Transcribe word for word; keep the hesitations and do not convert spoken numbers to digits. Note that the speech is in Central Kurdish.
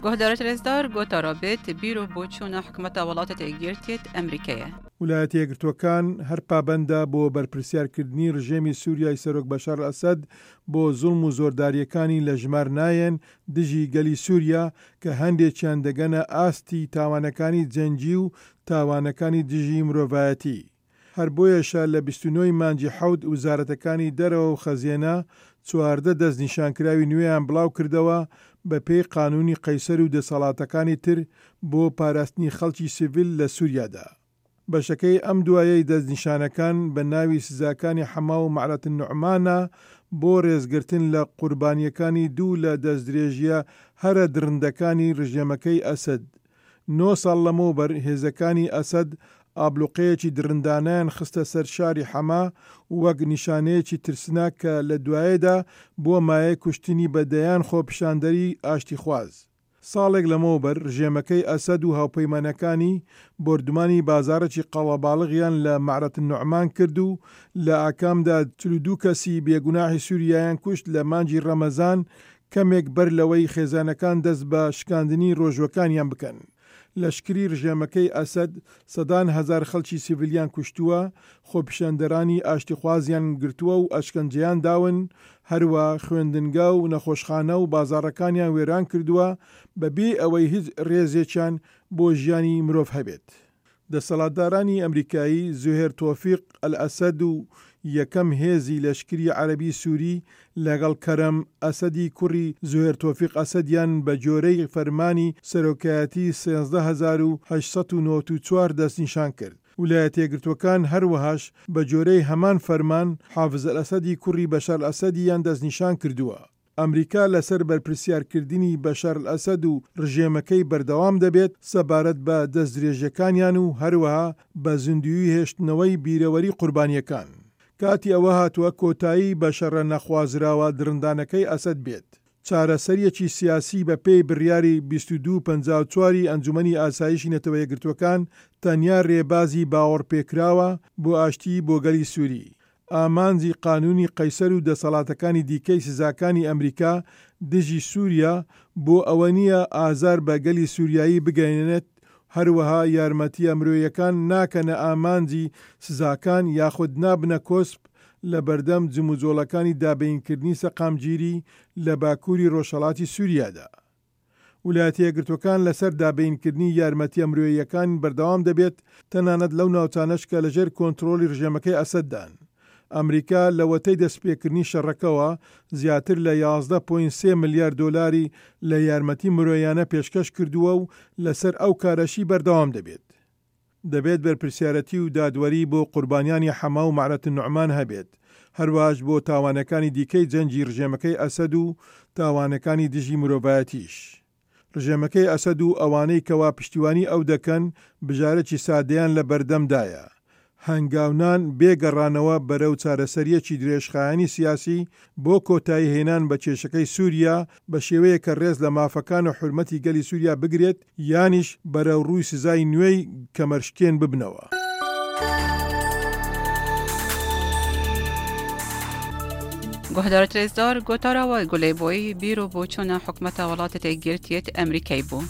گۆهدارت رێزدار گۆتارا بێت بیر و بۆچوونە حکومەتە وڵاتە یەکگرتیت ئەمریکایە. ولایەتە یەکگرتووەکان هەر پابەندە بۆ بەرپرسیارکردنی ڕژێمی سووریای سەرۆک بەشار ئەسەد بۆ زوڵم و زۆردارییەکانی لە ژمار نایەن دژی گەلی سووریا کە هەندێکیان دەگەنە ئاستی تاوانەکانی جەنگی و تاوانەکانی دژی مرۆڤایەتی. هەر بۆیەشە لە بیست و نۆ ی مانگی حەوت وزارەتەکانی دەرەوە و خەزێنە چواردە دەستنیشانکراوی نوێیان بڵاوکردەوە بە پێی قانونی قەیسەر و دەسەڵاتەکانی تر بۆ پاراستنی خەڵکی سیڤیل لە سوریادا. بەشەکەی ئەم دوایەی دەستنیشانەکان بە ناوی سزاکانی حەما و مەعرەت النوعمانە بۆ ڕێزگرتن لە قوربانییەکانی دوو لە دەستدرێژییە هەرە دڕندەکانی ڕژێمەکەی ئەسەد. نۆ ساڵ لەمەوبەر هێزەکانی ئەسەد ئابلوقەیەکی دڕندانەیان خستە سەر شاری حەما وەک نیشانەیەکی ترسناک کە لە دوایەدا بووە مایەی کوشتنی بە دەیان خۆپیشاندەری ئاشتیخواز. ساڵێک لەمەوبەر ڕژێمەکەی ئەسەد و هاوپەیمانەکانی بۆردومانی بازاڕێکی قەڵەباڵغیان لە مەعرەت النوعمان کرد و لە ئاکامدا چل و دوو کەسی بێگوناحی سوریایان کوشت لە مانگی ڕەمەزان کەمێک بەر لەوەی خێزانەکان دەست بە شکاندنی ڕۆژووەکانیان بکەن. لەشکری ڕژێمەکەی ئەسەد سەدان هەزار خەڵکی سیڤیلیان کوشتووە، خۆپیشاندەرانی ئاشتیخوازیان گرتووە و ئەشکەنجەیان داون، هەروا خوێندنگا و نەخۆشخانە و بازاڕەکانیان وێران کردووە بە بێ ئەوەی هیچ ڕێزێکیان بۆ ژیانی مرۆڤ هەبێت. دەسەڵاتدارانی ئەمریکایی زوهێر تۆفیق ئەلئەسەد و یەکەم هێزی لەشکری عەرەبی سوری لەگەڵ کەرەم ئەسەدی کوڕی زوهێر تۆفیق ئەسەدیان بە گۆرەی فەرمانی سەرۆکایەتی سێزدە هەزار و هەشت سەد و نەوەد و چوار دەستنیشان کرد. ولایەتەیەکگرتووەکان هەروەهاش بە جۆرەی هەمان فەرمان حافز ئەلئەسەدی کوڕی بەشار ئەسەدیان دەستنیشان کردووە. ئەمریکا لەسەر بەرپرسیارکردنی بەشار ئەسەد و ڕژێمەکەی بەردەوام دەبێت سەبارەت بە دەستدرێژیەکانیان و هەروەها بە زیندوویی هێشتنەوەی بیرەوەری قوربانیەکان. کاتی ئەوە هاتووە کۆتایی بە شەڕە نەخوازراوە دڕندانەکەی ئەسەد بێت. چارەسەریەکی سیاسی بە پێی بڕیاری بیست و دوو پەنجا و چوار ی ئەنجومەنی ئاسایشی نەتەوە یەکگرتووەکان تەنیا رێبازی باوەڕپێکراوە بۆ ئاشتی بۆ گەلی سوری. ئامانجی قانونی قەیسەر و دەسەڵاتەکانی دیکەی سزاکانی ئەمریکا دژی سوریا بۆ ئەوە نییە ئازار بە گەلی سوریایی بگەیەنێت، هەروەها یارمەتییە مرۆییەکان ناکەنە ئامانجی سزاکان یاخود نابنە کۆسپ لەبەردەم جموجۆڵەکانی دابینکردنی سەقامگیری لە باکوری ڕۆژهەڵاتی سوریادا. ولایەتە یەکگرتووەکان لەسەر دابینکردنی یارمەتییە مرۆییەکان بەردەوام دەبێت، تەنانەت لەو ناوچانەش کە لەژێر کۆنترۆڵی ڕژێمەکەی ئەسەددان. ئەمریکا لەوەتەی دەستپێکردنی شەڕەکەوە زیاتر لە یازدە پۆینت سێ ملیار دۆلاری لە یارمەتی مرۆیانە پێشکەش کردووە و لەسەر ئەو کارەشی بەردەوام دەبێت. دەبێت بەرپرسیارەتی و دادوەری بۆ قوربانیانی حەما و مەعرەت النوعمان هەبێت، هەروەهاش بۆ تاوانەکانی دیکەی جەنگی ڕژێمەکەی ئەسەد و تاوانەکانی دژی مرۆڤایەتیش. ڕژێمەکەی ئەسەد و ئەوانەی کەوا پشتیوانی ئەو دەکەن بژارەکی سادەیان لە بەردەمدایە، هەنگاونان بێ گەڕانەوە بەرەو چارەسەرییەکی درێژخایەنی سیاسی بۆ کۆتایی هێنان بە کێشەکەی سووریا بە شێوەیەک کە ڕێز لە مافەکان و حورمەتی گەلی سووریا بگرێت یانیش بەرەوڕووی سزای نوێی کەمەرشکێن ببنەوە. گۆهدارت رێزدار گۆتارا وە گولەی بۆی بیر و بۆچوونە حکومەتە وڵاتە یەکگرتیت ئەمریکای بوو.